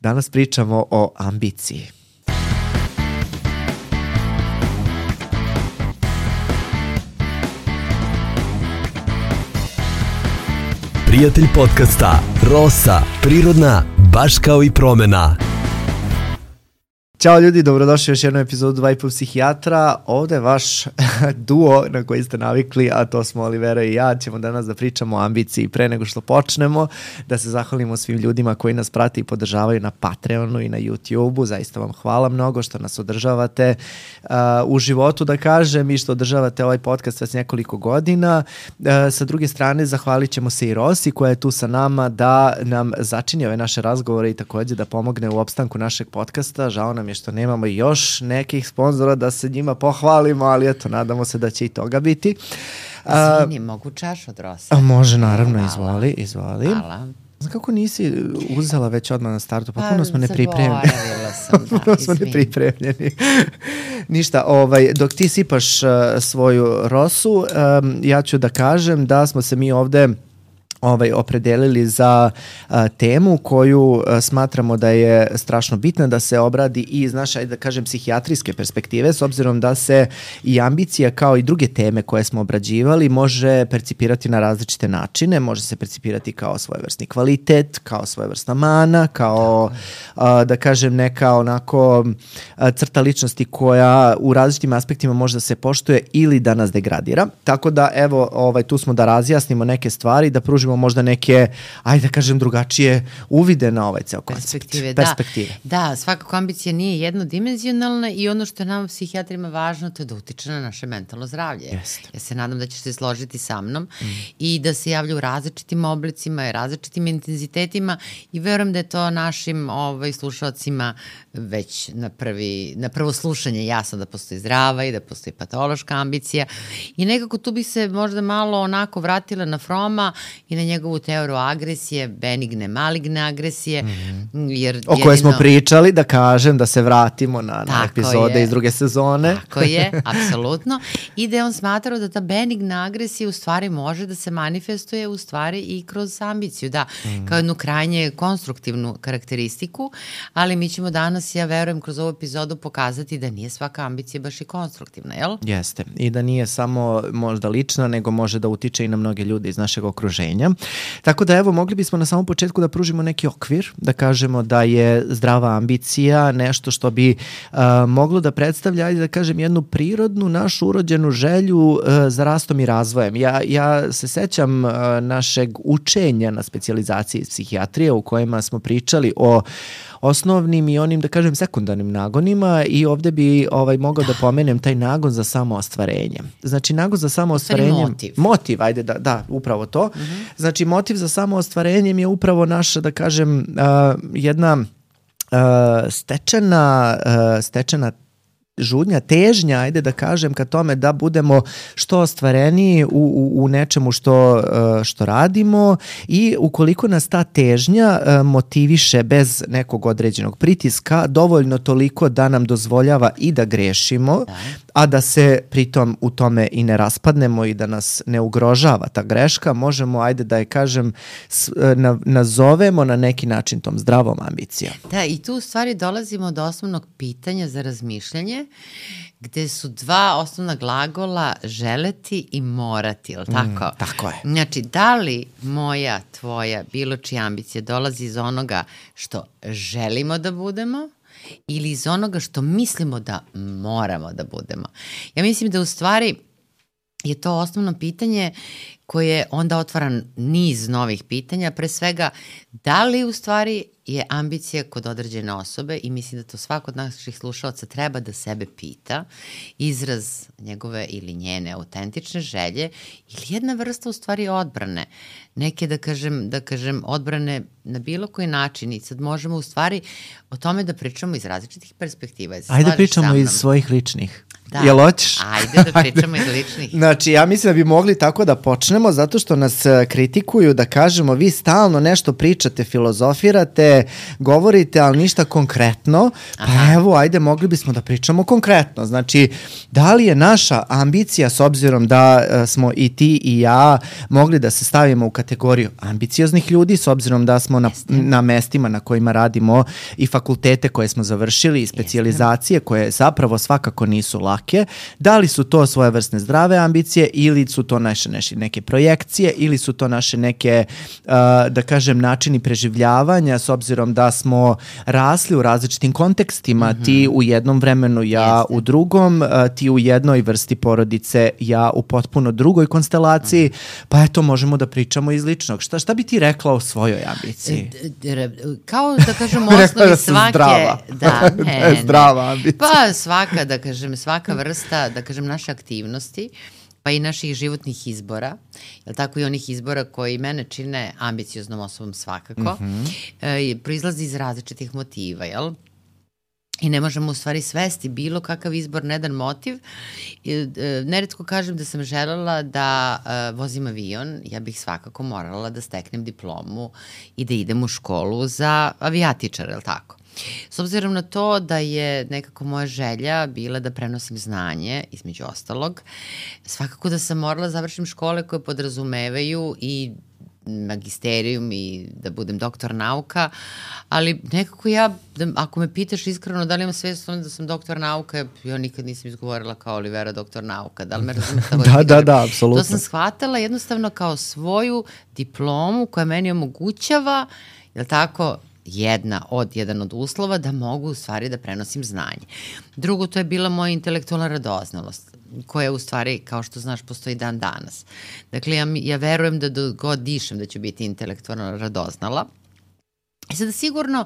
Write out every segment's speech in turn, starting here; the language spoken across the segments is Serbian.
Danas pričamo o ambiciji. Prijatelj podcasta Rosa, prirodna, baš kao i promena. Ćao ljudi, dobrodošli u još jednu epizodu 2,5 psihijatra. Ovde je vaš duo na koji ste navikli, a to smo Olivera i ja. Ćemo danas da pričamo o ambiciji. Pre nego što počnemo, da se zahvalimo svim ljudima koji nas prate i podržavaju na Patreonu i na YouTubeu. Zaista vam hvala mnogo što nas održavate u životu, da kažem, i što održavate ovaj podcast već nekoliko godina. Sa druge strane, zahvalit ćemo se i Rosi koja je tu sa nama da nam začini ove naše razgovore i takođe da pomogne u opstanku našeg podcasta. Žao nam je što nemamo još nekih sponzora da se njima pohvalimo, ali eto, nadamo se da će i toga biti. Izvini, mogu čaš od Rosa? Može, naravno, izvoli. Hvala. Znam kako nisi uzela već odmah na startu, pa puno smo nepripremljeni. Zaboravila sam, puno smo nepripremljeni. Ništa, dok ti sipaš svoju Rosu, ja ću da kažem da smo se mi ovde opredelili za temu koju smatramo da je strašno bitna da se obradi i iz naše, da kažem, psihijatrijske perspektive, s obzirom da se i ambicija kao i druge teme koje smo obrađivali može percipirati na različite načine. Može se percipirati kao svojevrsni kvalitet, kao svojevrsna mana, kao da kažem neka onako crta ličnosti koja u različitim aspektima može da se poštuje ili da nas degradira. Tako da evo, tu smo da razjasnimo neke stvari, da pružimo možda neke, ajde da kažem, drugačije uvide na ovaj ceo koncept. Perspektive. Da, svakako ambicija nije jednodimenzionalna i ono što je nama psihijatrima važno to je da utiče na naše mentalno zdravlje. Jeste. Ja se nadam da ćeš se složiti sa mnom i da se javlja u različitim oblicima i različitim intenzitetima i verujem da je to našim slušalcima već na prvo slušanje jasno da postoji zdrava i da postoji patološka ambicija i nekako tu bi se možda malo onako vratila na Froma i na njegovu teoriju agresije, benigne, maligne agresije. O kojoj smo pričali, da kažem, da se vratimo na epizode iz druge sezone. Tako je, apsolutno. I da je on smatrao da ta benigna agresija u stvari može da se manifestuje u stvari i kroz ambiciju, da, kao jednu krajnje konstruktivnu karakteristiku, ali mi ćemo danas, ja verujem, kroz ovu epizodu pokazati da nije svaka ambicija baš i konstruktivna, jel? Jeste. I da nije samo možda lična, nego može da utiče i na mnoge ljude iz našeg okruženja. Tako da evo, mogli bismo na samom početku da pružimo neki okvir, da kažemo da je zdrava ambicija nešto što bi moglo da predstavlja, ajde da kažem, jednu prirodnu našu urođenu želju za rastom i razvojem. Ja se sećam našeg učenja na specijalizaciji iz psihijatrije u kojima smo pričali o osnovnim i onim, da kažem, sekundarnim nagonima i ovde bi mogao da pomenem taj nagon za samoostvarenje. Znači, nagon za samoostvarenje... Motiv, ajde, da, upravo to. Znači, motiv za samoostvarenjem je upravo naša, da kažem, jedna stečena žudnja, težnja, ajde da kažem, ka tome da budemo što ostvareniji u nečemu što radimo i ukoliko nas ta težnja motiviše bez nekog određenog pritiska, dovoljno toliko da nam dozvoljava i da grešimo, a da se pritom u tome i ne raspadnemo i da nas ne ugrožava ta greška, možemo, ajde da je kažem, nazovemo na neki način tom zdravom ambicijom. Da, i tu u stvari dolazimo do osnovnog pitanja za razmišljanje, gde su dva osnovna glagola želeti i morati, ili tako? Tako je. Znači, da li moja, tvoja, bilo čija ambicija dolazi iz onoga što želimo da budemo ili iz onoga što mislimo da moramo da budemo? Ja mislim da u stvari je to osnovno pitanje koje onda otvara niz novih pitanja, pre svega da li u stvari je ambicija kod određene osobe i mislim da to svako od naših slušalaca treba da sebe pita, izraz njegove ili njene autentične želje ili jedna vrsta u stvari odbrane, neke da kažem odbrane na bilo koji način i sad možemo u stvari o tome da pričamo iz različitih perspektiva. Ajde pričamo iz svojih ličnih. Da. Jel hoćeš? Ajde da pričamo iz ličnih. Znači, ja mislim da bi mogli tako da počnemo zato što nas kritikuju da kažemo vi stalno nešto pričate, filozofirate, govorite, ali ništa konkretno. Pa evo, ajde, mogli bismo da pričamo konkretno. Znači, da li je naša ambicija, s obzirom da smo i ti i ja mogli da se stavimo u kategoriju ambicioznih ljudi, s obzirom da smo na mestima na kojima radimo i fakultete koje smo završili i specijalizacije koje zapravo svakako nisu lake, da li su to svojevrsne zdrave ambicije ili su to naše neke projekcije ili su to naše neke, da kažem, načini preživljavanja s obzirom da smo rasli u različitim kontekstima, ti u jednom vremenu, ja u drugom, ti u jednoj vrsti porodice, ja u potpuno drugoj konstelaciji, pa eto možemo da pričamo iz ličnog. Šta bi ti rekla o svojoj ambiciji? Kao da kažem osnovi svake... Zdrava. Da, ne. Zdrava ambicija. Pa svaka, da kažem, svaka vrsta, da kažem, naše aktivnosti, pa i naših životnih izbora, jel tako, i onih izbora koji mene čine ambicioznom osobom svakako, proizlazi iz različitih motiva, jel? I ne možemo u stvari svesti bilo kakav izbor na jedan motiv. Neretko kažem da sam želela da vozim avion, ja bih svakako morala da steknem diplomu i da idem u školu za avijatičar, je li tako? S obzirom na to da je nekako moja želja bila da prenosim znanje, između ostalog, svakako da sam morala završim škole koje podrazumevaju i magisterijum i da budem doktor nauka, ali nekako ja, ako me pitaš iskreno da li imam svest da sam doktor nauka, ja nikad nisam izgovorila kao Olivera doktor nauka, da li me razumete? Da, apsolutno. To sam shvatala jednostavno kao svoju diplomu koja meni omogućava, jel tako, jedan od uslova da mogu u stvari da prenosim znanje. Drugo, to je bila moja intelektualna radoznalost, koja u stvari, kao što znaš, postoji dan danas. Dakle, ja verujem da dok god dišem da ću biti intelektualno radoznala. I sada sigurno,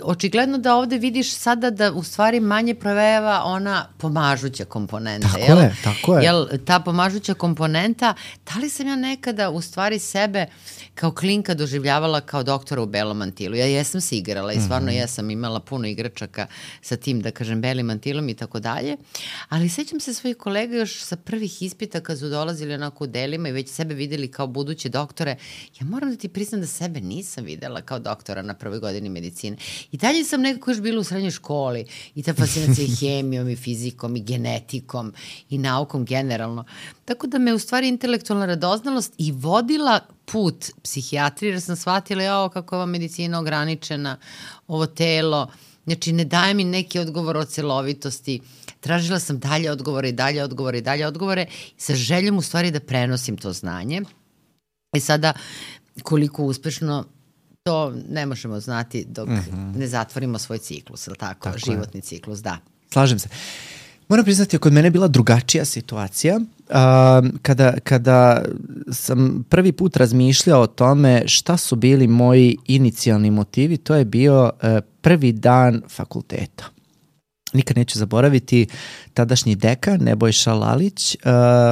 očigledno da ovde vidiš sada da u stvari manje provejava ona pomažuća komponenta. Tako je. Jel, ta pomažuća komponenta, da li sam ja nekada u stvari sebe kao klinka doživljavala kao doktora u belom mantilu? Ja jesam se igrala i stvarno jesam imala puno igračaka sa tim, da kažem, belim mantilom i tako dalje, ali sećam se svojih kolega još sa prvih ispita kad su dolazili onako u delima i već sebe videli kao buduće doktore. Ja moram da ti priznam da sebe nisam videla kao doktora na prvoj godini medicine. I dalje sam nekako još bila u srednjoj školi i ta fascinacija i hemijom i fizikom i genetikom i naukom generalno. Tako da me u stvari intelektualna radoznalost i vodila put psihijatrije, jer sam shvatila kako je ova medicina ograničena, ovo telo, znači ne daje mi neki odgovor o celovitosti. Tražila sam dalje odgovore sa željom u stvari da prenosim to znanje. I sada koliko uspešno to ne možemo znati dok ne zatvorimo svoj ciklus, ili tako životni ciklus, da. Slažem se. Moram priznati, kod mene je bila drugačija situacija. Kada sam prvi put razmišljao o tome šta su bili moji inicijalni motivi, to je bio prvi dan fakulteta. Nikad neću zaboraviti, tadašnji dekan Nebojša Lalić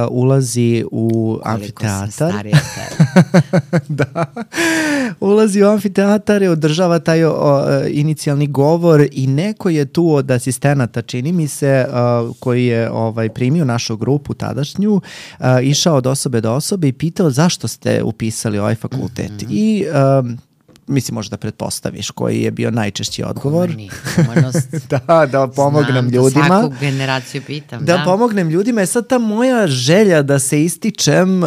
ulazi u amfiteatar. Da. Ulazi u amfiteatar i održava taj inicijalni govor i neko je tu od asistenata, čini mi se, koji je primio našu grupu tadašnju, išao od osobe do osobe i pitao zašto ste upisali ovaj fakultet. I mislim, možda pretpostaviš koji je bio najčešći odgovor. Da pomognem ljudima. Svaku generaciju pitam. Da pomognem ljudima. Sad ta moja želja da se ističem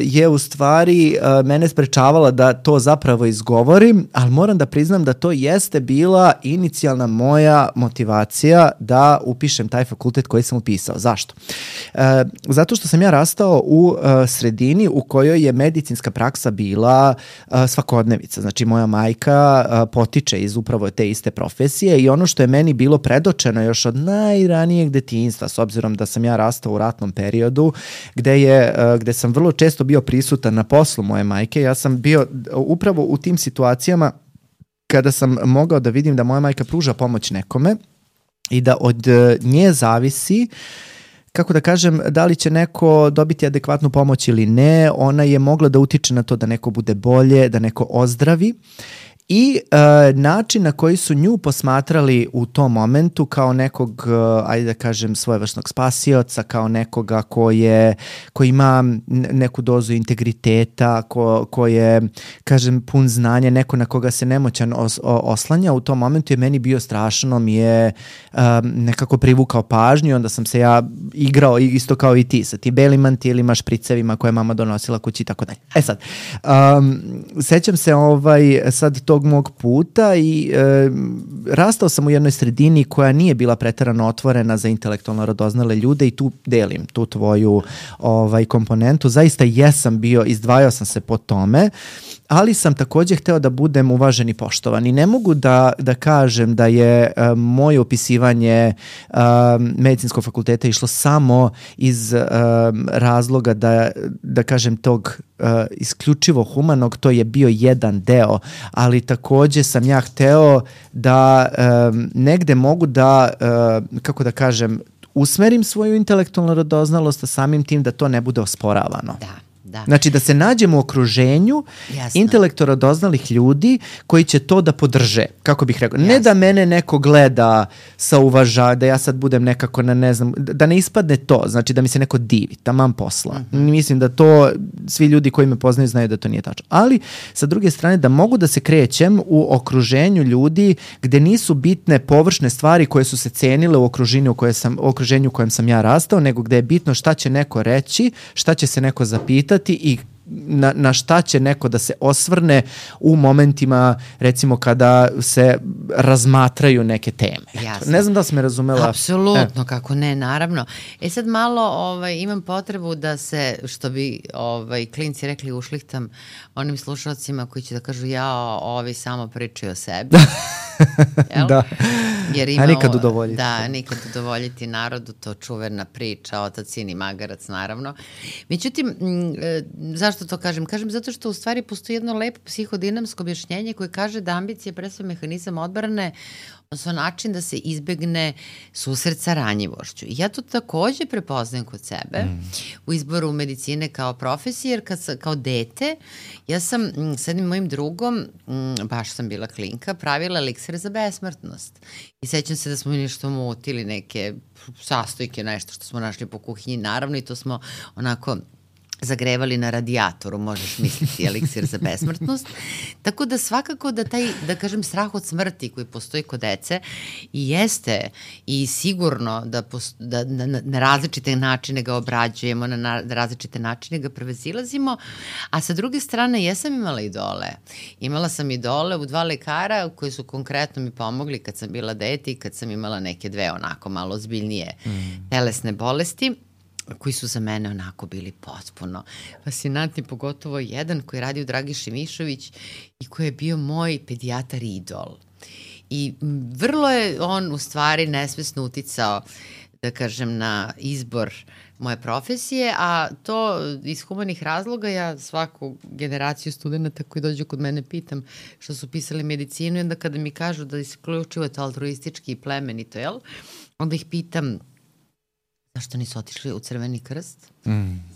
je u stvari mene sprečavala da to zapravo izgovorim, ali moram da priznam da to jeste bila inicijalna moja motivacija da upišem taj fakultet koji sam upisao. Zašto? Zato što sam ja rastao u sredini u kojoj je medicinska praksa bila svakodnevica. Znači, moja majka potiče iz upravo te iste profesije i ono što je meni bilo predočeno još od najranijeg detinjstva, s obzirom da sam ja rastao u ratnom periodu, gde sam vrlo često bio prisutan na poslu moje majke, ja sam bio upravo u tim situacijama kada sam mogao da vidim da moja majka pruža pomoć nekome i da od nje zavisi, kako da kažem, da li će neko dobiti adekvatnu pomoć ili ne. Ona je mogla da utiče na to da neko bude bolje, da neko ozdravi i način na koji su nju posmatrali u tom momentu kao nekog, ajde da kažem, svojevrsnog spasioca, kao nekoga ko ima neku dozu integriteta, ko je, kažem, pun znanja, neko na koga se nemoćan oslanja, u tom momentu je meni bio strašno, mi je nekako privukao pažnju, onda sam se ja igrao isto kao i ti, sa ti belim mantilima, špricevima koje je mama donosila kući i tako dalje. E sad, sećam se sad tog mog puta i rastao sam u jednoj sredini koja nije bila preterano otvorena za intelektualno radoznale ljude i tu delim tu tvoju komponentu. Zaista jesam bio, izdvajao sam se po tome, ali sam takođe hteo da budem uvažen i poštovan i ne mogu da kažem da je moje opisivanje medicinskog fakulteta išlo samo iz razloga da kažem tog isključivo humanog, to je bio jedan deo, ali takođe sam ja hteo da negde mogu da, kako da kažem, usmerim svoju intelektualnu radoznalost, a samim tim da to ne bude osporavano. Da. Znači da se nađemo u okruženju intelektualno radoznalih ljudi koji će to da podrže, kako bih rekao. Ne da mene neko gleda sa uvažavanjem, da ja sad budem nekako na ne znam, da ne ispadne to, znači da mi se neko divi, taman posla. Mislim da to svi ljudi koji me poznaju znaju da to nije tačno. Ali sa druge strane da mogu da se krećem u okruženju ljudi gde nisu bitne površne stvari koje su se cenile u okruženju u kojem sam ja rastao, nego gde je bitno šta će neko reći, šta će se neko zapitati i na šta će neko da se osvrne u momentima, recimo, kada se razmatraju neke teme. Jasno. Ne znam da si me razumela. Apsolutno, kako ne, naravno. Sad malo imam potrebu da se, što bi klinci rekli, ušlihtam onim slušalcima koji će da kažu ovi samo pričaju o sebi. Da. A nikad udovoljiti. Da, nikad udovoljiti narodu, to čuvena priča, otac, sin i magarac, naravno. Međutim, zašto to kažem? Kažem zato što u stvari postoji jedno lepo psihodinamsko objašnjenje koje kaže da ambicija je presve mehanizam odbrane, odnosno način da se izbegne susret sa ranjivošću. I ja to takođe prepoznajem kod sebe u izboru medicine kao profesije, jer kao dete, ja sam s jednim mojim drugom, baš sam bila klinka, pravila eliksire za besmrtnost. I sećam se da smo nešto mutili, neke sastojke, nešto što smo našli po kuhinji, naravno, i to smo onako zagrevali na radijatoru, možeš misliti, eliksir za besmrtnost. Tako da svakako da taj, da kažem, strah od smrti koji postoji kod dece i jeste i sigurno da na različite načine ga obrađujemo, na različite načine ga prevezilazimo, a sa druge strane jesam imala idole. Imala sam idole u 2 lekara koji su konkretno mi pomogli kad sam bila dete i kad sam imala neke 2 onako malo ozbiljnije telesne bolesti, koji su za mene onako bili potpuno fascinantni, pogotovo jedan koji radi u Dragiši Mišović i koji je bio moj pedijatar idol. I vrlo je on u stvari nesvesno uticao, da kažem, na izbor moje profesije, a to iz humanih razloga ja svaku generaciju studenta koji dođu kod mene pitam što su pisali medicinu i onda kada mi kažu da isključivo je to altruistički i plemenito, onda ih pitam zašto nisu otišli u Crveni krst?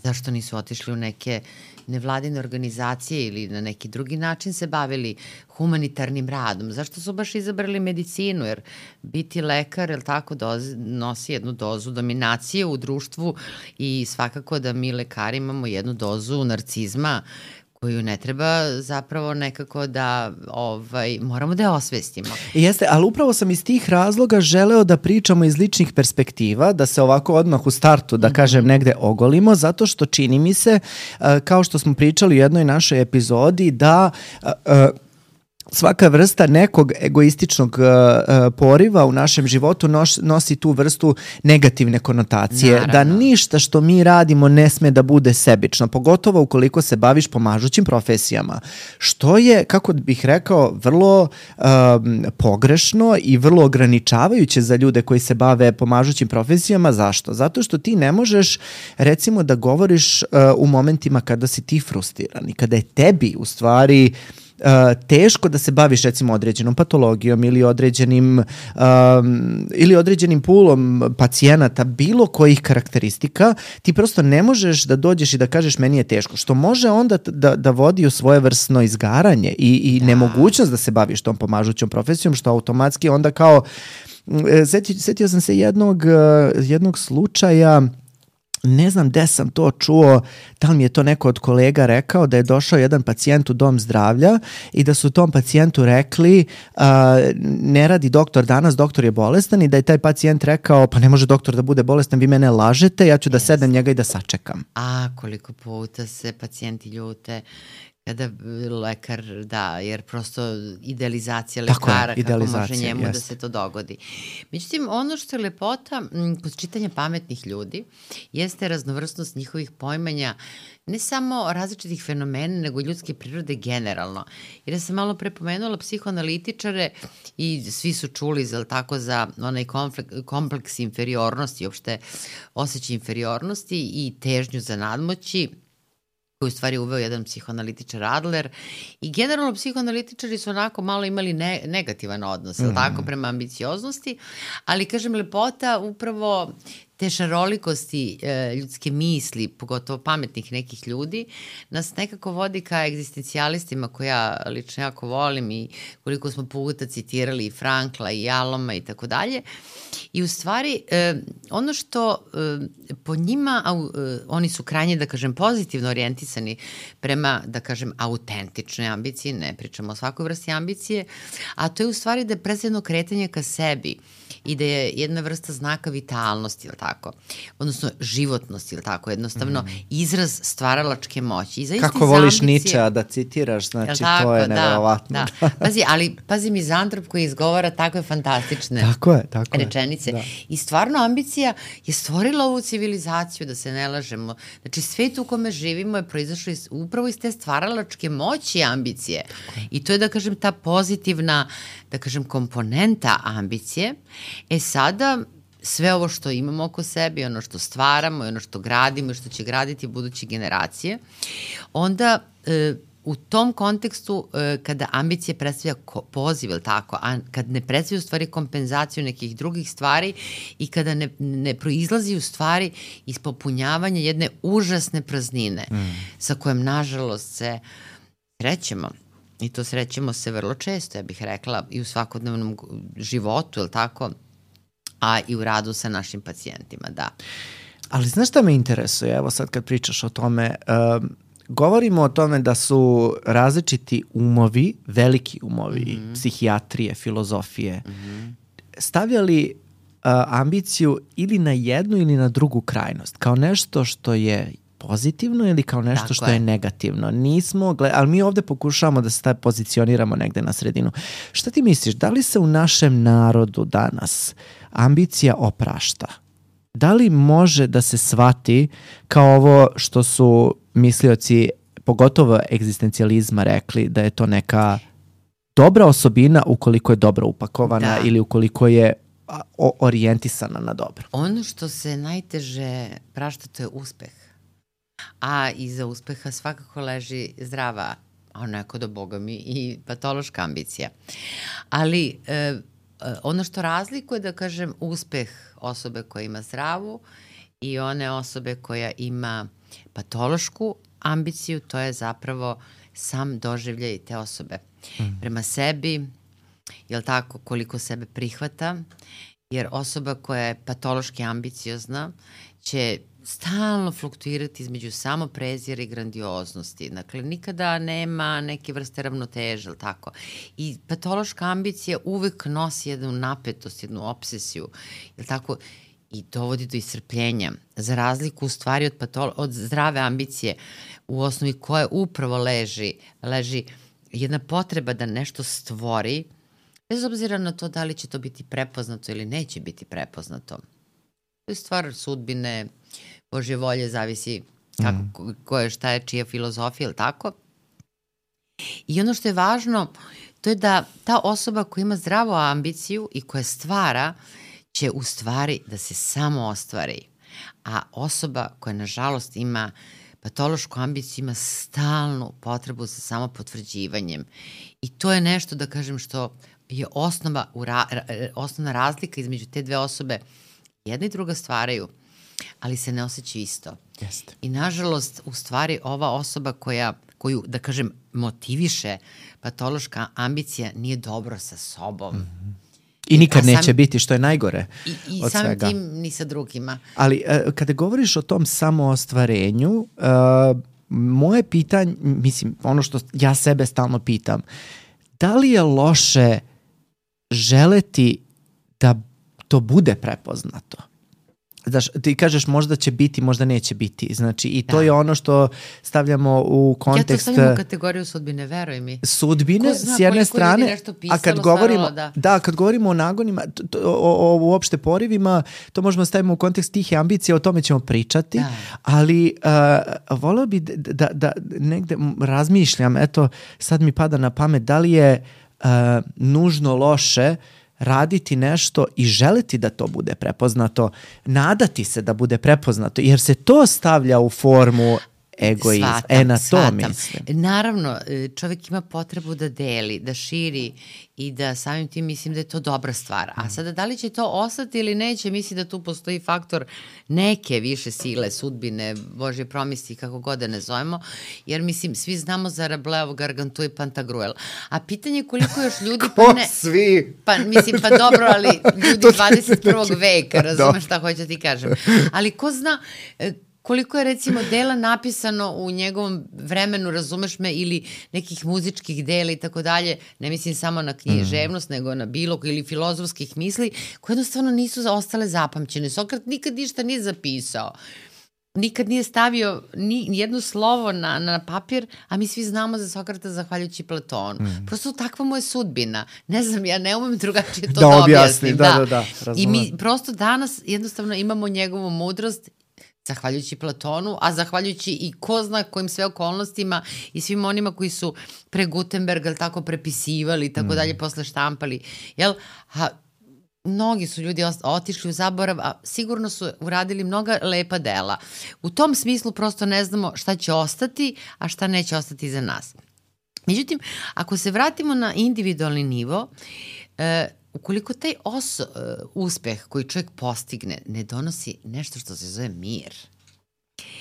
Zašto nisu otišli u neke nevladine organizacije ili na neki drugi način se bavili humanitarnim radom? Zašto su baš izabrali medicinu? Jer biti lekar, jel tako, nosi jednu dozu dominacije u društvu i svakako da mi lekari imamo jednu dozu narcizma koju ne treba zapravo nekako da moramo da je osvestimo. Jeste, ali upravo sam iz tih razloga želeo da pričamo iz ličnih perspektiva, da se ovako odmah u startu, da kažem, negde ogolimo, zato što čini mi se, kao što smo pričali u jednoj našoj epizodi, da svaka vrsta nekog egoističnog poriva u našem životu nosi tu vrstu negativne konotacije. Naravno. Da ništa što mi radimo ne sme da bude sebično, pogotovo ukoliko se baviš pomažućim profesijama. Što je, kako bih rekao, vrlo pogrešno i vrlo ograničavajuće za ljude koji se bave pomažućim profesijama. Zašto? Zato što ti ne možeš, recimo, da govoriš u momentima kada si ti frustriran i kada je tebi u stvari teško da se baviš recimo određenom patologijom ili određenim pulom pacijenata bilo kojih karakteristika, ti prosto ne možeš da dođeš i da kažeš meni je teško, što može onda da vodi u svojevrsno izgaranje i nemogućnost da se baviš tom pomažućom profesijom, što automatski onda kao setio sam se jednog slučaja, ne znam gde sam to čuo, da li mi je to neko od kolega rekao, da je došao jedan pacijent u dom zdravlja i da su tom pacijentu rekli ne radi doktor danas, doktor je bolestan, i da je taj pacijent rekao pa ne može doktor da bude bolestan, vi mene lažete, ja ću da sednem njega i da sačekam. A koliko puta se pacijenti ljute kada lekar, jer prosto idealizacija lekara, kako može njemu da se to dogodi. Međutim, ono što je lepota kod čitanja pametnih ljudi jeste raznovrstnost njihovih poimanja, ne samo različitih fenomena, nego ljudske prirode generalno. Jer ja sam malo prepomenula psihoanalitičare i svi su čuli za onaj kompleks inferiornosti, uopšte osjećaj inferiornosti i težnju za nadmoći, koju u stvari uveo jedan psihoanalitičar Adler, i generalno psihoanalitičari su onako malo imali negativan odnos, tako, prema ambicioznosti, ali kažem, lepota upravo te šarolikosti ljudske misli, pogotovo pametnih nekih ljudi, nas nekako vodi ka egzistencijalistima koje ja lično jako volim i koliko smo puta citirali i Frankla i Jaloma i tako dalje. I u stvari ono što po njima, oni su krajnje, da kažem, pozitivno orijentisani prema, da kažem, autentičnoj ambiciji, ne pričamo o svakoj vrsti ambicije, a to je u stvari da je predstavljeno kretanje ka sebi i da je jedna vrsta znaka vitalnosti, ili tako, odnosno životnosti, ili tako, jednostavno izraz stvaralačke moći. Kako voliš Ničea da citiraš, znači tako, to je neverovatno. Da. Pazi mizantrop koji izgovara takve fantastične rečenice. Da. I stvarno ambicija je stvorila ovu civilizaciju, da se ne lažemo. Znači svet u kome živimo je proizašao upravo iz te stvaralačke moći ambicije. I to je, da kažem, ta pozitivna, da kažem, komponenta ambicije. Sada sve ovo što imamo oko sebe, ono što stvaramo, ono što gradimo i što će graditi buduće generacije, onda u tom kontekstu kada ambicija predstavlja poziv, ili tako, a kad ne predstavlja u stvari kompenzaciju nekih drugih stvari i kada ne proizlazi u stvari iz popunjavanja jedne užasne praznine sa kojom nažalost se srećemo. I to srećemo se vrlo često, ja bih rekla, i u svakodnevnom životu, ili tako, a i u radu sa našim pacijentima, da. Ali znaš šta me interesuje, evo sad kad pričaš o tome, govorimo o tome da su različiti umovi, veliki umovi, psihijatrije, filozofije, stavljali ambiciju ili na jednu ili na drugu krajnost, kao nešto što je pozitivno ili kao nešto što je negativno. Ali mi ovde pokušavamo da se pozicioniramo negde na sredinu. Šta ti misliš, da li se u našem narodu danas ambicija oprašta? Da li može da se shvati kao ovo što su mislioci, pogotovo egzistencijalizma, rekli da je to neka dobra osobina ukoliko je dobro upakovana ili ukoliko je orijentisana na dobro? Ono što se najteže prašta, to je uspeh. A iza uspeha svakako leži zdrava, a onako do Boga mi, i patološka ambicija. Ali ono što razlikuje, da kažem, uspeh osobe koja ima zdravu i one osobe koja ima patološku ambiciju, to je zapravo sam doživljaj te osobe. Prema sebi, jel tako, koliko sebe prihvata, jer osoba koja je patološki ambiciozna će stalno fluktuirati između samoprezira i grandioznosti. Dakle, nikada nema neke vrste ravnoteže, ili tako. I patološka ambicija uvek nosi jednu napetost, jednu obsesiju, ili tako, i dovodi do iscrpljenja. Za razliku u stvari od zdrave ambicije, u osnovi koje upravo leži jedna potreba da nešto stvori, bez obzira na to da li će to biti prepoznato ili neće biti prepoznato. To je stvar sudbine, Božje volje, zavisi šta je čija filozofija, ili tako. I ono što je važno, to je da ta osoba koja ima zdravu ambiciju i koja stvara, će u stvari da se samo ostvari. A osoba koja, nažalost, ima patološku ambiciju ima stalnu potrebu za samopotvrđivanjem. I to je nešto, da kažem, što je osnovna razlika između te dve osobe. Jedna i druga stvaraju, ali se ne osjećaju isto. Jeste. I nažalost, u stvari, ova osoba koju, da kažem, motiviše patološka ambicija nije dobro sa sobom. Mm-hmm. I nikad neće biti, što je najgore i samim tim ni sa drugima. Ali kada govoriš o tom samoostvarenju, moje pitanje, mislim, ono što ja sebe stalno pitam, da li je loše želeti da to bude prepoznato? Znaš, ti kažeš možda će biti, možda neće biti. Znači, i to je ono što stavljamo u kontekst... Ja to stavljam u kategoriju sudbine, veruj mi. Sudbine, s jedne strane, a kad govorimo o nagonima, o uopšte porivima, to možemo staviti u kontekst tih ambicija, o tome ćemo pričati, ali voleo bi da negde razmišljam, eto, sad mi pada na pamet, da li je nužno loše raditi nešto i želiti da to bude prepoznato, nadati se da bude prepoznato, jer se to stavlja u formu egoizma. Na to mislim. Naravno, čovjek ima potrebu da deli, da širi i da samim tim mislim da je to dobra stvar. A sada da li će to ostati ili neće, mislim da tu postoji faktor neke više sile, sudbine, Božje promisli, kako god da ne zovemo, jer mislim, svi znamo za Rabelais, Gargantua i Pantagruel. A pitanje je koliko još ljudi... Svi? Pa dobro, ali ljudi 21. veka, razumeš šta hoću ti kažem. Ali ko zna... koliko je recimo dela napisano u njegovom vremenu, razumeš me, ili nekih muzičkih dela i tako dalje, ne mislim samo na književnost, nego na bilo ili filozofskih misli, koje jednostavno nisu ostale zapamćene. Sokrat nikad ništa nije zapisao. Nikad nije stavio ni jedno slovo na papir, a mi svi znamo za Sokrata zahvaljujući Platonu. Prosto takva mu je sudbina. Ne znam, ja ne umem drugačije to da objasnim. Da, i mi prosto danas jednostavno imamo njegovu mudrost zahvaljujući Platonu, a zahvaljujući i ko zna kojim sve okolnostima i svim onima koji su pre Gutenberga tako prepisivali i tako dalje, posle štampali. Jel? Mnogi su ljudi otišli u zaborav, a sigurno su uradili mnoga lepa dela. U tom smislu prosto ne znamo šta će ostati, a šta neće ostati za nas. Međutim, ako se vratimo na individualni nivo, ukoliko taj uspeh koji čovjek postigne ne donosi nešto što se zove mir.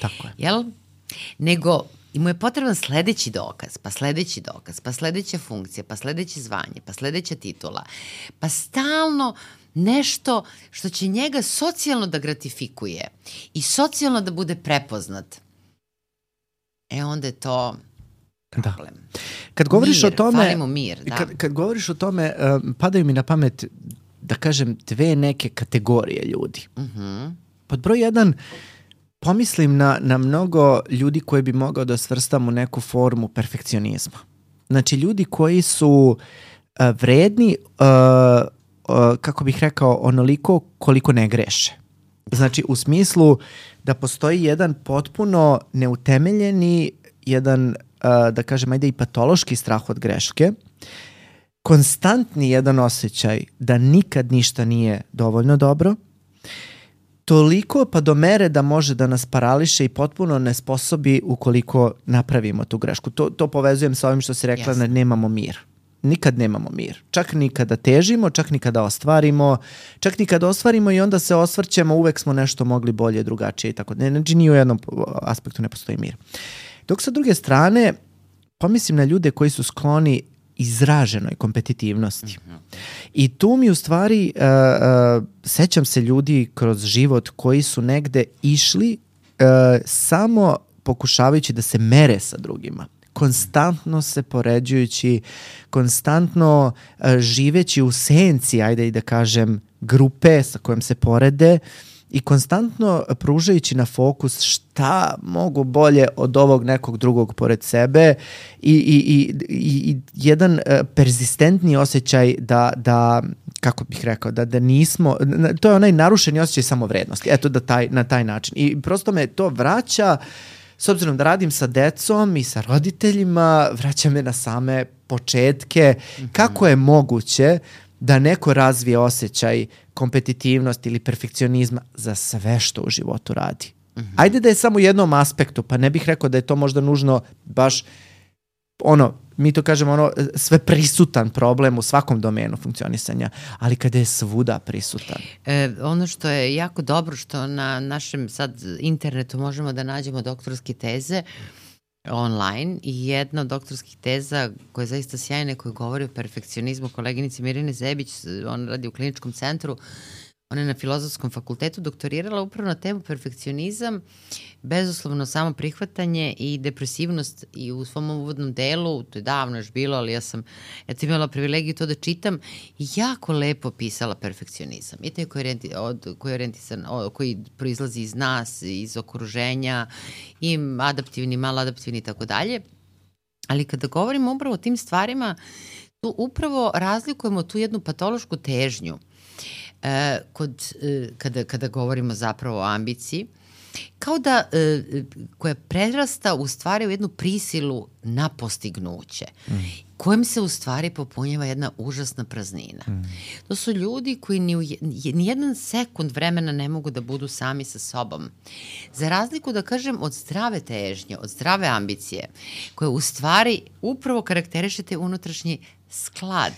Tako je. Jel? Nego mu je potreban sledeći dokaz, pa sledeći dokaz, pa sledeća funkcija, pa sledeće zvanje, pa sledeća titula, pa stalno nešto što će njega socijalno da gratifikuje i socijalno da bude prepoznat. Onda je to problem. Kad govoriš mir, o tome, falimo mir, da. Kad govoriš o tome, padaju mi na pamet, da kažem, dve neke kategorije ljudi. Pod broj 1, pomislim na mnogo ljudi koje bi mogao da svrstam u neku formu perfekcionizma. Znači, ljudi koji su vredni, kako bih rekao, onoliko koliko ne greše. Znači, u smislu da postoji jedan potpuno neutemeljeni, jedan, da kažem, ajde i patološki strah od greške, konstantni jedan osjećaj da nikad ništa nije dovoljno dobro, toliko pa do mere da može da nas parališe i potpuno nesposobi ukoliko napravimo tu grešku. To povezujem sa ovim što si rekla, da nemamo mir. Nikad nemamo mir. Čak ni kada težimo, čak ni kada ostvarimo, čak ni kada ostvarimo i onda se osvrćemo, uvek smo nešto mogli bolje, drugačije i tako. Znači, ni u jednom aspektu ne postoji mir. Dok sa druge strane, pomislim na ljude koji su skloni izraženoj kompetitivnosti. I tu mi u stvari sećam se ljudi kroz život koji su negde išli samo pokušavajući da se mere sa drugima. Konstantno se poređujući, konstantno živeći u senci, ajde i da kažem, grupe sa kojom se porede i konstantno pružajući na fokus šta mogu bolje od ovog nekog drugog pored sebe i jedan perzistentni osjećaj da kako bih rekao, da nismo, to je onaj narušeni osjećaj samovrednosti, eto na taj način. I prosto me to vraća, s obzirom da radim sa decom i sa roditeljima, vraća me na same početke, kako je moguće da neko razvije osjećaj kompetitivnosti ili perfekcionizma za sve što u životu radi. Ajde da je samo u jednom aspektu, pa ne bih rekao da je to možda nužno baš mi to kažemo sve prisutan problem u svakom domenu funkcionisanja, ali kada je svuda prisutan. Ono što je jako dobro, što na našem sad internetu možemo da nađemo doktorske teze online i jedna od doktorskih teza koja je zaista sjajna, koja govori o perfekcionizmu, koleginici Mirjane Zebić, ona radi u kliničkom centru, ona je na Filozofskom fakultetu doktorirala upravo na temu perfekcionizam, bezuslovno samo prihvatanje i depresivnost, i u svom uvodnom delu, to je davno još bilo, ali ja sam imala privilegiju to da čitam, i jako lepo pisala perfekcionizam. I taj koji proizlazi iz nas, iz okruženja, i adaptivni, maladaptivni i tako dalje. Ali kada govorimo upravo o tim stvarima, tu upravo razlikujemo tu jednu patološku težnju kada govorimo zapravo o ambiciji, kao da koja prerasta u stvari u jednu prisilu na postignuće, kojim se u stvari popunjava jedna užasna praznina. To su ljudi koji ni jedan sekund vremena ne mogu da budu sami sa sobom. Za razliku, da kažem, od zdrave težnje, od zdrave ambicije, koje u stvari upravo karakterišete unutrašnji sklad.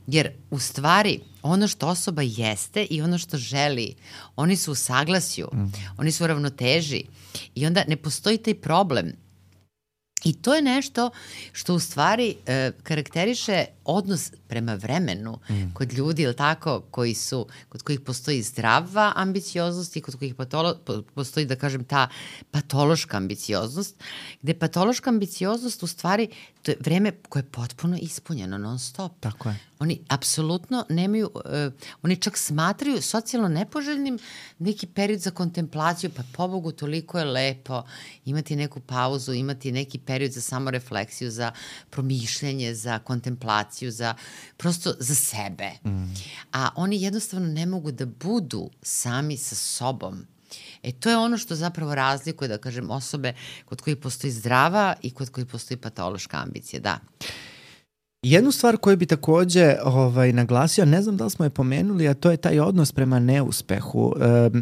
Jer u stvari ono što osoba jeste i ono što želi, oni su u saglasju, oni su u ravnoteži i onda ne postoji taj problem. I to je nešto što u stvari karakteriše odnos prema vremenu kod ljudi, ili tako, kod kojih postoji zdrava ambicioznost i kod kojih postoji, da kažem, ta patološka ambicioznost, gde patološka ambicioznost u stvari to je vreme koje je potpuno ispunjeno non stop. Tako je. Oni apsolutno nemaju, oni čak smatraju socijalno nepoželjnim neki period za kontemplaciju, pa pobogu toliko je lepo imati neku pauzu, imati neki period za samorefleksiju, za promišljanje, za kontemplaciju, prosto za sebe. A oni jednostavno ne mogu da budu sami sa sobom. To je ono što zapravo razlikuje, da kažem, osobe kod kojih postoji zdrava i kod kojih postoji patološka ambicija, da. Jednu stvar koju bi takođe naglasio, ne znam da li smo je pomenuli, a to je taj odnos prema neuspehu.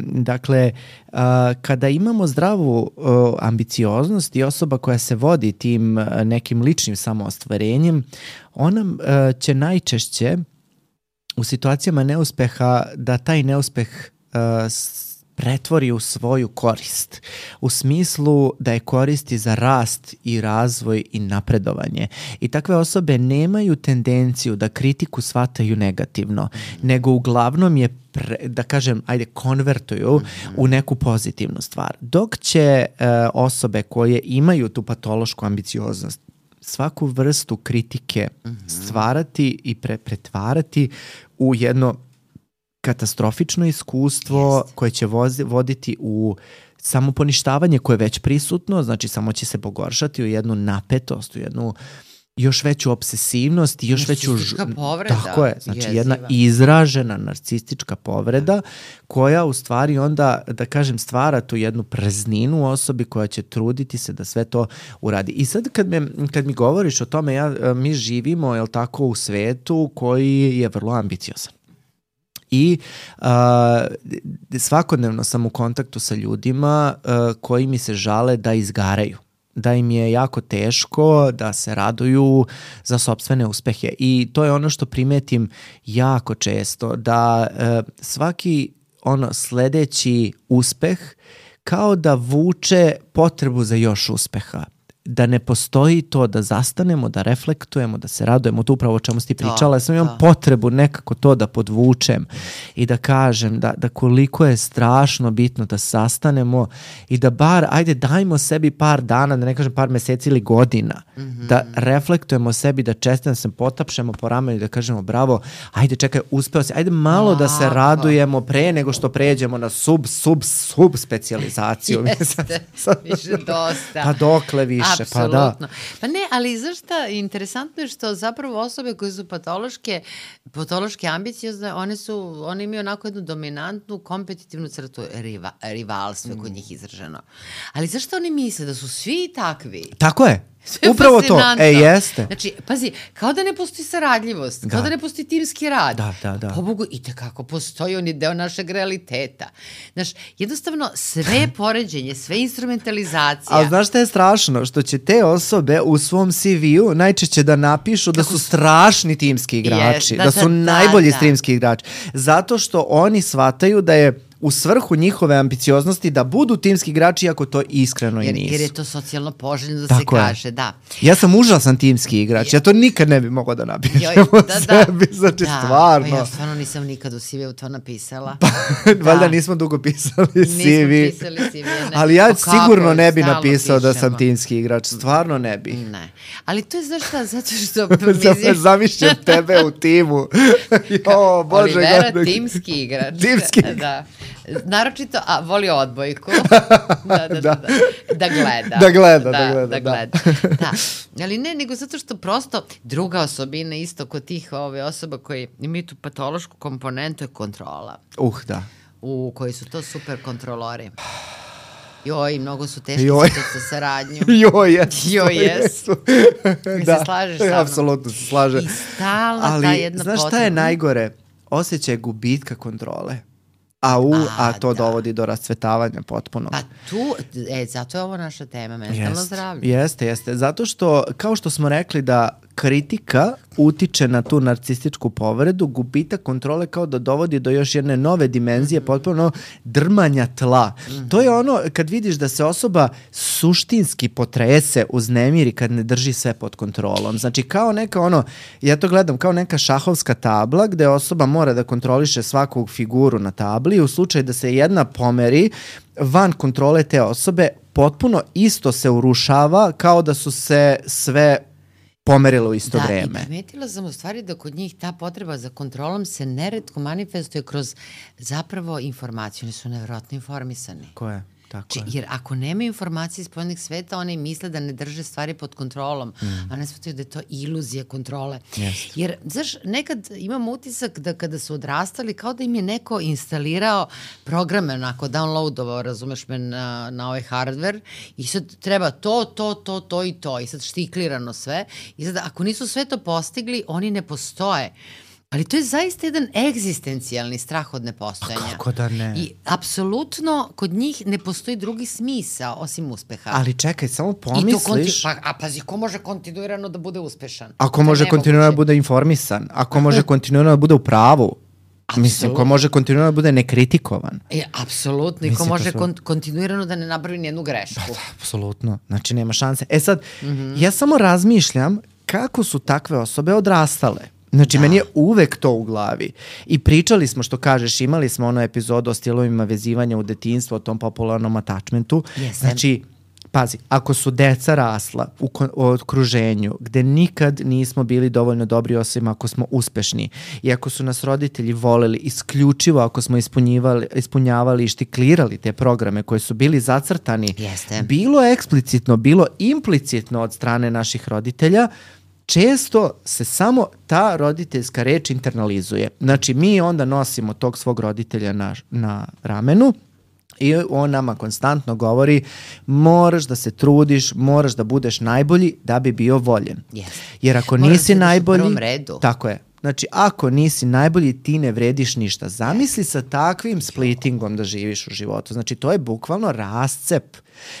Dakle, kada imamo zdravu ambicioznost i osoba koja se vodi tim nekim ličnim samoostvarenjem, ona će najčešće u situacijama neuspeha da taj neuspeh pretvori u svoju korist. U smislu da je koristi za rast i razvoj i napredovanje. I takve osobe nemaju tendenciju da kritiku shvataju negativno, nego uglavnom je da kažem, konvertuju u neku pozitivnu stvar. Dok će osobe koje imaju tu patološku ambicioznost svaku vrstu kritike stvarati i pretvarati u jedno katastrofično iskustvo koje će voditi u samoponištavanje koje je već prisutno, znači samo će se pogoršati u jednu napetost, u jednu još veću obsesivnost i još veću... Narcistička povreda. Tako je, znači jedna izražena narcistička povreda koja u stvari onda, da kažem, stvara tu jednu prazninu u osobi koja će truditi se da sve to uradi. I sad kad mi govoriš o tome, mi živimo, jel tako, u svetu koji je vrlo ambiciozan. I svakodnevno sam u kontaktu sa ljudima koji mi se žale da izgaraju, da im je jako teško da se raduju za sopstvene uspehe. I to je ono što primetim jako često, da svaki sledeći uspeh kao da vuče potrebu za još uspeha. Da ne postoji to da zastanemo, da reflektujemo, da se radujemo, to upravo o čemu si ti pričala, ja sam imam potrebu nekako to da podvučem i da kažem da koliko je strašno bitno da sastanemo i da bar, dajmo sebi par dana, da ne kažem par meseci ili godina, da reflektujemo sebi, da čestitamo se, potapšemo po ramenu i da kažemo bravo, čekaj, uspeo si, malo da se radujemo pre nego što pređemo na sub specijalizaciju. Jeste, više dosta. Pa dokle više. Apsolutno. Pa ne, ali znaš šta, interesantno je što zapravo osobe koje su patološke ambiciozne, one imaju onako jednu dominantnu kompetitivnu crtu, rivalstvo kod njih izraženo. Ali zašto oni misle da su svi takvi? Tako je. Upravo to, jeste. Znači, pazi, kao da ne postoji saradljivost, kao da ne postoji timski rad. Da. Pobogu, i tekako postoji, on je deo našeg realiteta. Znaš, jednostavno, sve poređenje, sve instrumentalizacija. Ali znaš šta je strašno? Što će te osobe u svom CV-u najčešće da napišu da su strašni timski igrači, da su najbolji timski igrači. Zato što oni shvataju da je u svrhu njihove ambicioznosti da budu timski igrači, iako to iskreno i nisu. Jer je to socijalno poželjno da se kaže, da. Ja sam užasan timski igrač, ja to nikad ne bi mogao da napišem sebi, znači stvarno. Pa ja stvarno nisam nikad u CV-u to napisala. Valjda nismo dugo pisali CV. Nismo pisali CV, ali ja sigurno ne bi napisao da sam timski igrač, stvarno ne bi. Ne, ali to je znaš šta, zato što... Zamišljam tebe u timu. Olivera, timski igrač. Timski igrač. Da. Naročito, voli odbojku. Da gleda. Da. Ali ne, nego zato što prosto druga osobina isto kod tih osoba koji imaju tu patološku komponentu je kontrola. Da. U koji su to super kontrolori. Joj, mnogo su teški za saradnju. Jesu. Mi se slažeš sa mnom. Apsolutno se slažem. I stalna ta jedna potreba. Znaš šta je najgore? Osjećaj gubitka kontrole. A to dovodi do rascvetavanja potpuno. Pa tu, zato je ovo naša tema, mentalno zdravlje. Jeste. Zato što, kao što smo rekli da kritika utiče na tu narcističku povredu, gubitak kontrole kao da dovodi do još jedne nove dimenzije, potpuno drmanja tla. To je ono kad vidiš da se osoba suštinski potrese, uznemiri kad ne drži sve pod kontrolom. Znači kao neka ja to gledam kao neka šahovska tabla gde osoba mora da kontroliše svaku figuru na tabli i u slučaju da se jedna pomeri van kontrole te osobe, potpuno isto se urušava kao da su se sve pomerilo u isto vreme. I primetila sam u stvari da kod njih ta potreba za kontrolom se neretko manifestuje kroz zapravo informaciju. Oni su nevjerojatno informisani. Jer ako nema informacije iz spoljnih sveta, oni misle da ne drže stvari pod kontrolom, a ne shvataju da je to iluzija kontrole. Jer, znaš, nekad imam utisak da kada su odrastali, kao da im je neko instalirao programe, onako, downloadovao, razumeš me, na ovaj hardware i sad treba to i to i sad štiklirano sve i sad ako nisu sve to postigli, oni ne postoje. Ali to je zaista jedan egzistencijalni strah od nepostojanja. Kako da ne? I apsolutno kod njih ne postoji drugi smisao osim uspeha. Ali čekaj, samo pomisliš... Pazi, ko može kontinuirano da bude uspešan? Ako može kontinuirano da bude informisan, ako može kontinuirano da bude u pravu, mislim, ko može kontinuirano da bude nekritikovan. Apsolutno, i ko može kontinuirano da ne napravi nijednu grešku. Apsolutno, znači nema šanse. Sad, ja samo razmišljam kako su takve osobe odrastale. Znači, meni je uvek to u glavi. I pričali smo, što kažeš, imali smo onu epizodu o stilovima vezivanja u detinjstvu, o tom popularnom attachmentu. Znači, pazi, ako su deca rasla u okruženju gde nikad nismo bili dovoljno dobri osim ako smo uspešni i ako su nas roditelji voleli isključivo ako smo ispunjavali i štiklirali te programe koji su bili zacrtani, bilo eksplicitno, bilo implicitno od strane naših roditelja, često se samo ta roditeljska reč internalizuje. Znači, mi onda nosimo tog svog roditelja na ramenu i on nama konstantno govori moraš da se trudiš, moraš da budeš najbolji da bi bio voljen. Jer ako nisi najbolji... Tako je. Znači, ako nisi najbolji, ti ne vrediš ništa. Zamisli sa takvim splittingom da živiš u životu. Znači, to je bukvalno rascep.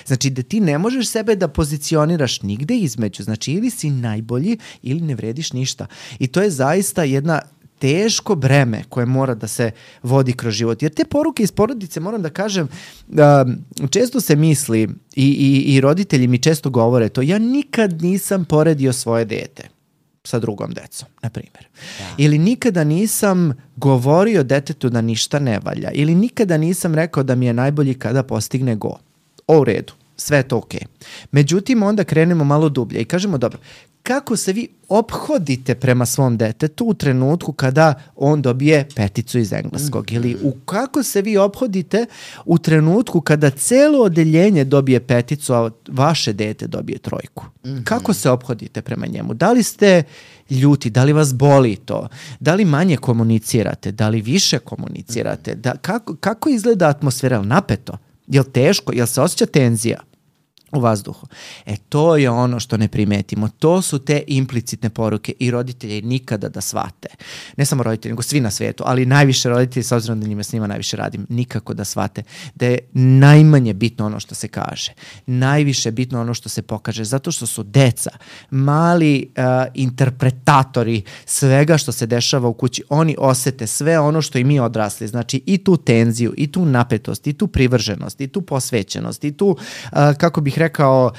Znači, da ti ne možeš sebe da pozicioniraš nigde između. Znači, ili si najbolji ili ne vrediš ništa. I to je zaista jedna teško breme koje mora da se vodi kroz život. Jer te poruke iz porodice, moram da kažem, često se misli i roditelji mi često govore to, ja nikad nisam poredio svoje dete sa drugom decom, na primjer. Ili nikada nisam govorio detetu da ništa ne valja. Ili nikada nisam rekao da mi je najbolji kada postigne go. U redu, sve je to okej. Međutim, onda krenemo malo dublje i kažemo, dobro, kako se vi ophodite prema svom detetu u trenutku kada on dobije 5 iz engleskog? Ili kako se vi ophodite u trenutku kada celo odeljenje dobije 5, a vaše dete dobije 3? Kako se ophodite prema njemu? Da li ste ljuti? Da li vas boli to? Da li manje komunicirate? Da li više komunicirate? Kako izgleda atmosfera? Napeto? Je li teško? Je li se osjeća tenzija? u vazduhu. To je ono što ne primetimo. To su te implicitne poruke i roditelji nikada da shvate. Ne samo roditelji, nego svi na svetu, ali najviše roditelji, s obzirom da s njima najviše radim, nikako da shvate da je najmanje bitno ono što se kaže. Najviše bitno ono što se pokaže, zato što su deca mali interpretatori svega što se dešava u kući. Oni osete sve ono što i mi odrasli. Znači i tu tenziju, i tu napetost, i tu privrženost, i tu posvećenost, i tu, kako bih rekao,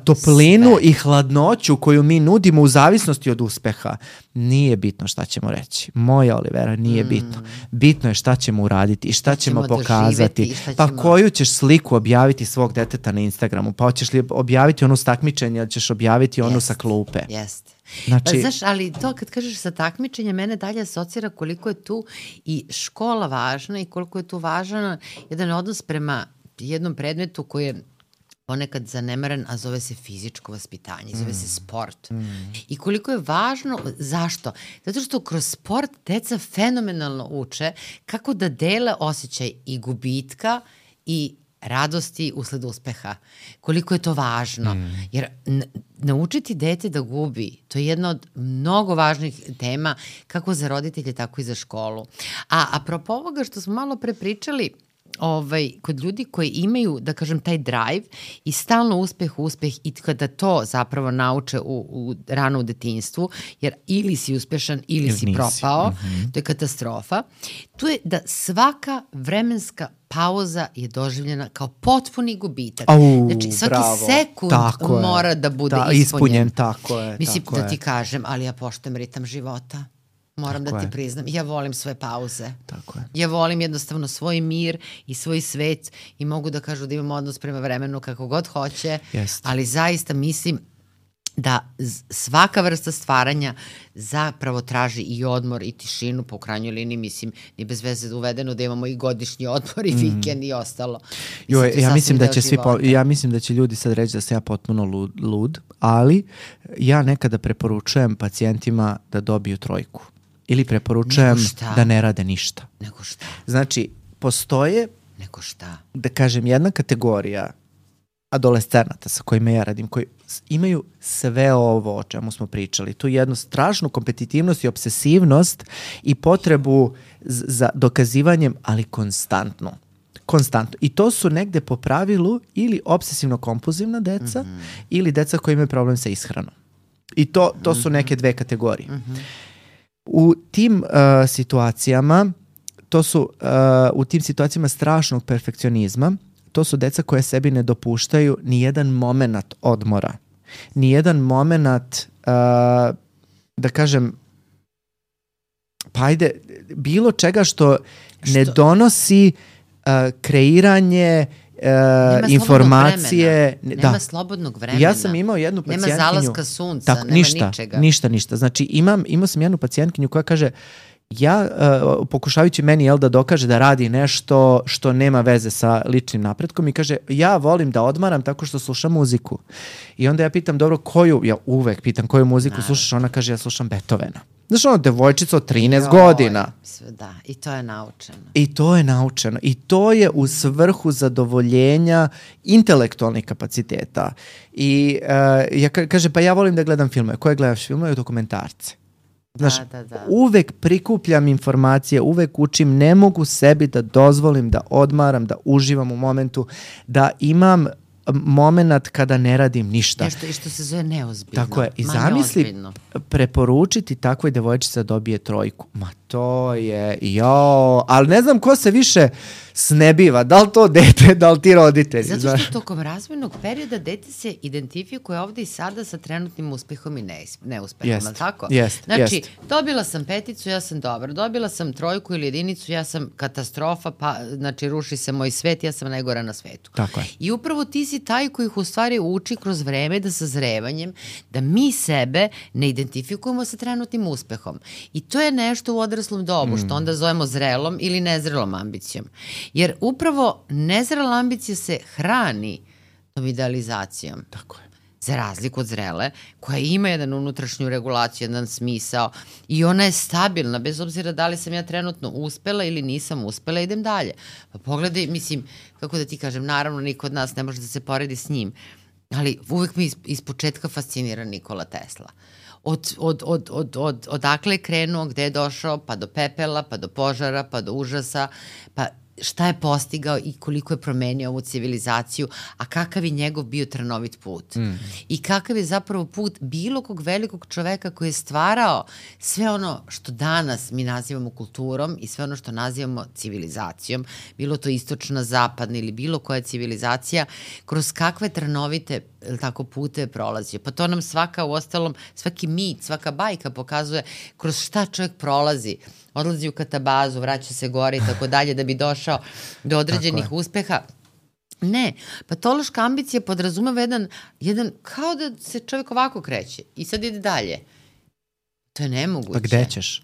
toplinu sve i hladnoću koju mi nudimo u zavisnosti od uspeha. Nije bitno šta ćemo reći. Moja Olivera, nije bitno. Bitno je šta ćemo uraditi i šta ćemo pokazati. Pa koju ćeš sliku objaviti svog deteta na Instagramu? Pa hoćeš li objaviti onu s takmičenja ili ćeš objaviti onu sa klupe? Jeste. Znači, pa, znaš, ali to kad kažeš sa takmičenja, mene dalje asocira koliko je tu i škola važna i koliko je tu važan jedan odnos prema jednom predmetu koji je ponekad zanemaren, a zove se fizičko vaspitanje, zove se sport. I koliko je važno, zašto? Zato što kroz sport deca fenomenalno uče kako da dele osjećaj i gubitka i radosti usled uspeha. Koliko je to važno. Jer naučiti dete da gubi, to je jedna od mnogo važnih tema, kako za roditelje, tako i za školu. A apropo ovoga što smo malo pre pričali, kod ljudi koji imaju, da kažem, taj drive i stalno uspeh i kada to zapravo nauče rano u detinjstvu, jer ili si uspešan ili si propao, to je katastrofa, to je da svaka vremenska pauza je doživljena kao potpuni gubitak. Znači, svaki sekund mora da bude ispunjen. Tako je. Mislim, da ti kažem, ali ja poštujem ritam života. Moram da ti priznam. Ja volim svoje pauze. Tako je. Ja volim jednostavno svoj mir i svoj svet i mogu da kažu da imam odnos prema vremenu kako god hoće, ali zaista mislim da svaka vrsta stvaranja zapravo traži i odmor i tišinu, po krajnjoj liniji, mislim, ni bez veze uvedeno da imamo i godišnji odmor i vikend i ostalo. Ja mislim da će ljudi sad reći da sam ja potpuno lud, ali ja nekada preporučujem pacijentima da dobiju 3 ili preporučujem da ne rade ništa. Nego šta? Znači, postoje, da kažem, jedna kategorija adolescenata sa kojima ja radim, koji imaju sve ovo o čemu smo pričali. Tu jednu strašnu kompetitivnost i obsesivnost i potrebu za dokazivanjem, ali konstantno. I to su negde po pravilu ili obsesivno-kompulzivna deca ili deca koji imaju problem sa ishranom. I to su neke 2 kategorije. U tim situacijama, u tim situacijama strašnog perfekcionizma, to su deca koje sebi ne dopuštaju ni jedan moment odmora. Ni jedan moment, da kažem, pa ajde, bilo čega što ne donosi kreiranje informacije. Nema slobodnog vremena. Ja sam imao jednu pacijentkinju. Nema zalaska sunca, nema ničega. Ništa. Znači imao sam jednu pacijentkinju koja kaže, ja pokušavajući meni da dokaže da radi nešto što nema veze sa ličnim napretkom i kaže, ja volim da odmaram tako što slušam muziku. I onda ja pitam, dobro, ja uvek pitam koju muziku slušaš, ona kaže, ja slušam Beethovena. Znaš, devojčica od 13 godina. Da, i to je naučeno. I to je u svrhu zadovoljenja intelektualnih kapaciteta. I ja kaže, pa ja volim da gledam filmove. Koje gledaš filmove? Dokumentarce. Znaš, uvek prikupljam informacije, uvek učim, ne mogu sebi da dozvolim da odmaram, da uživam u momentu, da imam moment kada ne radim ništa. Nešto što se zove neozbiljno. Tako je. I zamisli preporučiti takvoj devojčici da dobije 3. Ma to je, ali ne znam ko se više snebiva, da li to dete, da li ti roditelji. Zato što tokom razvojnog perioda dete se identifikuje ovde i sada sa trenutnim uspehom i neuspehom, tako? Znači, dobila sam 5, ja sam dobra, dobila sam 3 ili 1, ja sam katastrofa, pa znači ruši se moj svet, ja sam najgora na svetu. Tako je. I upravo ti si taj koji ih u stvari uči kroz vreme da sazrevanjem, da mi sebe ne identifikujemo sa trenutnim uspehom. I to je nešto u odraslom dobu, što onda zovemo zrelom ili nezrelom ambicijom. Jer upravo nezrela ambicija se hrani tom idealizacijom. Tako je. Za razliku od zrele, koja ima jedan unutrašnju regulaciju, jedan smisao i ona je stabilna, bez obzira da li sam ja trenutno uspela ili nisam uspela, idem dalje. Pa pogledaj, mislim, kako da ti kažem, naravno niko od nas ne može da se poredi s njim, Ali uvek me iz početka fascinira Nikola Tesla. Odakle je krenuo, gde je došao, pa do pepela, pa do požara, pa do užasa, pa šta je postigao i koliko je promenio ovu civilizaciju, a kakav je njegov bio trnovit put. I kakav je zapravo put bilo kog velikog čoveka koji je stvarao sve ono što danas mi nazivamo kulturom i sve ono što nazivamo civilizacijom, bilo to istočna, zapadna ili bilo koja civilizacija, kroz kakve trnovite tako pute je prolazio. Pa to nam svaki mit, svaka bajka pokazuje kroz šta čovjek prolazi. Odlazi u katabazu, vraća se gore i tako dalje da bi došao do određenih uspeha. Ne, patološka ambicija podrazumeva jedan, kao da se čovjek ovako kreće i sad ide dalje. To je nemoguće. Pa gde ćeš?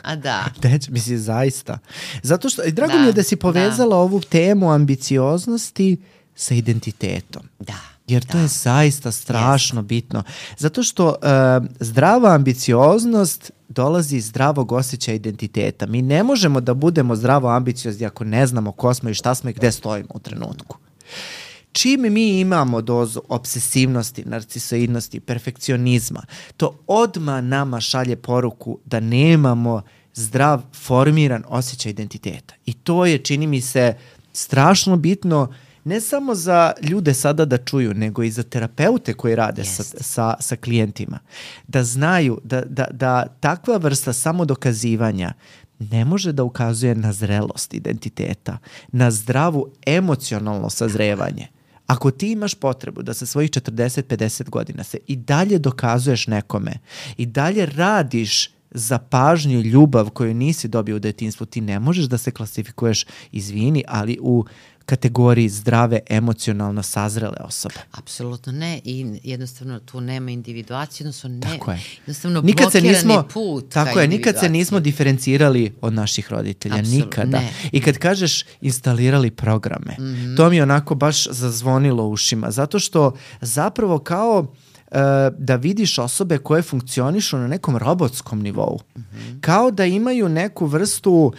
A da. Gde ćeš? Mislim, zaista. Zato što, drago mi je da si povezala ovu temu ambicioznosti sa identitetom. Da. Jer to je zaista strašno bitno. Zato što zdrava ambicioznost dolazi iz zdravog osjećaja identiteta. Mi ne možemo da budemo zdravo ambiciozni ako ne znamo ko smo i šta smo i gde stojimo u trenutku. Čim mi imamo dozu obsesivnosti, narcisoidnosti, perfekcionizma, to odmah nama šalje poruku da nemamo zdrav, formiran osjećaj identiteta. I to je, čini mi se, strašno bitno ne samo za ljude sada da čuju, nego i za terapeute koji rade sa klijentima. Da znaju da takva vrsta samodokazivanja ne može da ukazuje na zrelost identiteta, na zdravu emocionalno sazrevanje. Ako ti imaš potrebu da sa svojih 40-50 godina se i dalje dokazuješ nekome, i dalje radiš za pažnju i ljubav koju nisi dobio u detinjstvu, ti ne možeš da se klasifikuješ, izvini, ali u kategoriji zdrave, emocionalno sazrele osobe. Apsolutno ne, i jednostavno tu nema individuacije, jednostavno nikad blokirani put. Tako je, nikad se nismo diferencirali od naših roditelja, nikada. Ne. I kad kažeš instalirali programe, to mi je onako baš zazvonilo ušima, zato što zapravo kao da vidiš osobe koje funkcionišu na nekom robotskom nivou. Kao da imaju neku vrstu,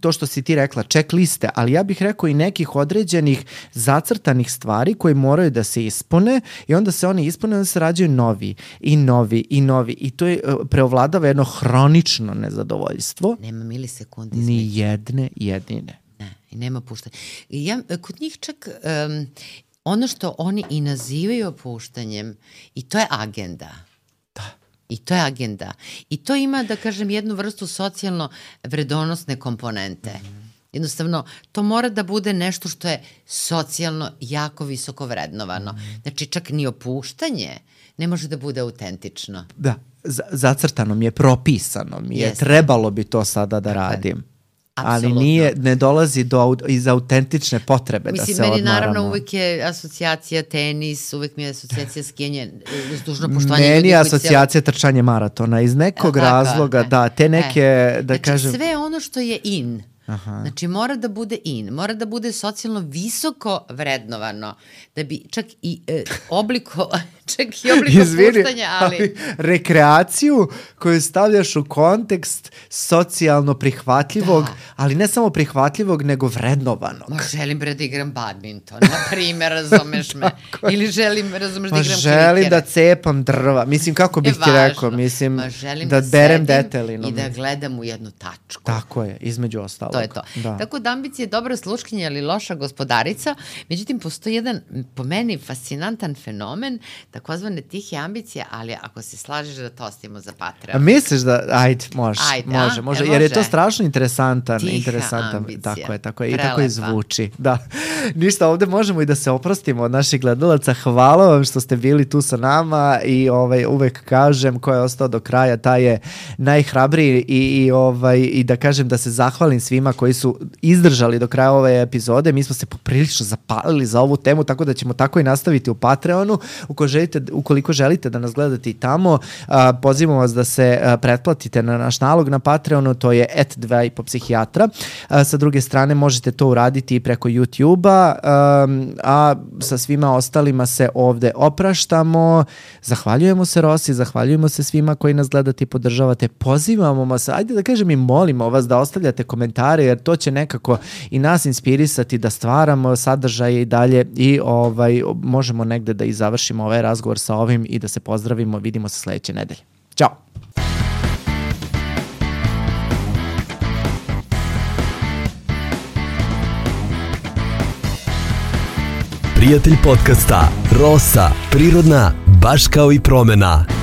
to što si ti rekla, checkliste, ali ja bih rekao i nekih određenih zacrtanih stvari koji moraju da se ispune i onda se oni ispune i onda se rađaju novi i novi i novi. I to je preovladava jedno hronično nezadovoljstvo. Nema milisekundi. Ni jedne jedine. Ne, i nema puštanja. Kod njih čak ono što oni i nazivaju opuštanjem, i to je agenda. Da. I to je agenda. I to ima, da kažem, jednu vrstu socijalno vredonosne komponente. Jednostavno, to mora da bude nešto što je socijalno jako visoko vrednovano. Znači, čak ni opuštanje ne može da bude autentično. Da, zacrtano mi je, propisano mi je, trebalo bi to sada da radim. Apsolutno. Ali ne dolazi iz autentične potrebe da se odmaramo. Meni naravno uvek je asocijacija tenis, uvek mi je asocijacija skijanje, uz dužno poštovanje. Meni je asocijacija trčanje maratona, iz nekog razloga, da, te neke, da kažem... Sve ono što je in, znači mora da bude in, mora da bude socijalno visoko vrednovano, da bi čak i obliko opuštanja, ali rekreaciju koju stavljaš u kontekst socijalno prihvatljivog, ali ne samo prihvatljivog, nego vrednovanog. Želim da igram badminton, na primjer, razumeš me, ili želim, razumeš, da igram krikere. Želim da cepam drva, mislim, kako bih ti rekao, mislim, da berem detelinu. I da gledam u jednu tačku. Tako je, između ostalog. To je to. Tako da ambicija je dobra sluškinja, ali loša gospodarica. Međutim, postoji jedan, po meni, fascinantan fenomen, takozvane tihe ambicije, ali ako se slažeš da to ostavimo za Patreon. A misliš da, može, jer je to strašno interesantan. Ambicija. Tako je, i tako i zvuči. Da. Ništa, ovde možemo i da se oprostimo od naših gledalaca. Hvala vam što ste bili tu sa nama i uvek kažem, ko je ostao do kraja, taj je najhrabriji i da kažem da se zahvalim svima koji su izdržali do kraja ove epizode. Mi smo se poprilično zapalili za ovu temu, tako da ćemo tako i nastaviti u Patreonu. Ukoliko želite da nas gledate i tamo, pozivamo vas da se pretplatite na naš nalog na Patreonu, to je @2,5psihijatra. Sa druge strane možete to uraditi i preko YouTube-a. doba, a sa svima ostalima se ovde opraštamo. Zahvaljujemo se Rosi, zahvaljujemo se svima koji nas gledate i podržavate. Pozivamo vas, ajde da kažem i molimo vas da ostavljate komentare, jer to će nekako i nas inspirisati da stvaramo sadržaje i dalje i možemo negde da i završimo ovaj razgovor sa ovim i da se pozdravimo. Vidimo se sledeće nedelje. Ćao! Prijatelj podcasta Rosa, prirodna, baš kao i promena.